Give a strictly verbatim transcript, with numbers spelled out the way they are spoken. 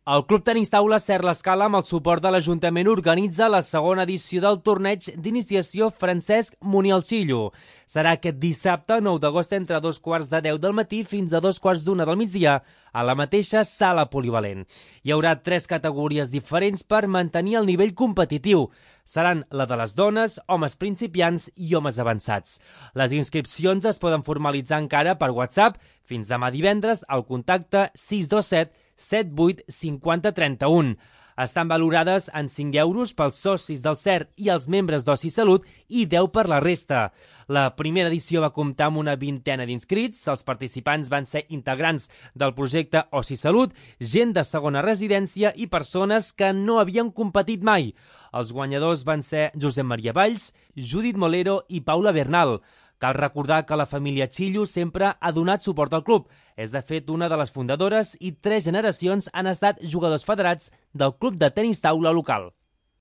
El Club Tenis Taula Ser l'Escala, amb el suport de l'Ajuntament, organitza la segona edició del torneig d'iniciació Francesc Munialchillo. Serà aquest dissabte, nou d'agost, entre dos quarts de deu del matí fins a dos quarts d'una del migdia, a la mateixa sala polivalent. Hi haurà tres categories diferents per mantenir el nivell competitiu. Seran la de les dones, homes principiants i homes avançats. Les inscripcions es poden formalitzar encara per WhatsApp fins demà divendres al contacte sis dos set set vuit cinquanta trenta-u. Estan valorades en cinc euros pels socis del C E R i els membres d'Oci Salut i deu per la resta. La primera edició va comptar amb una vintena d'inscrits. Els participants van ser integrants del projecte Oci Salut, gent de segona residència i persones que no havien competit mai. Els guanyadors van ser Josep Maria Valls, Judit Molero i Paula Bernal. Cal recordar que la família Chillo sempre ha donat suport al club. És, de fet, una de les fundadores i tres generacions han estat jugadors federats del club de tenis taula local.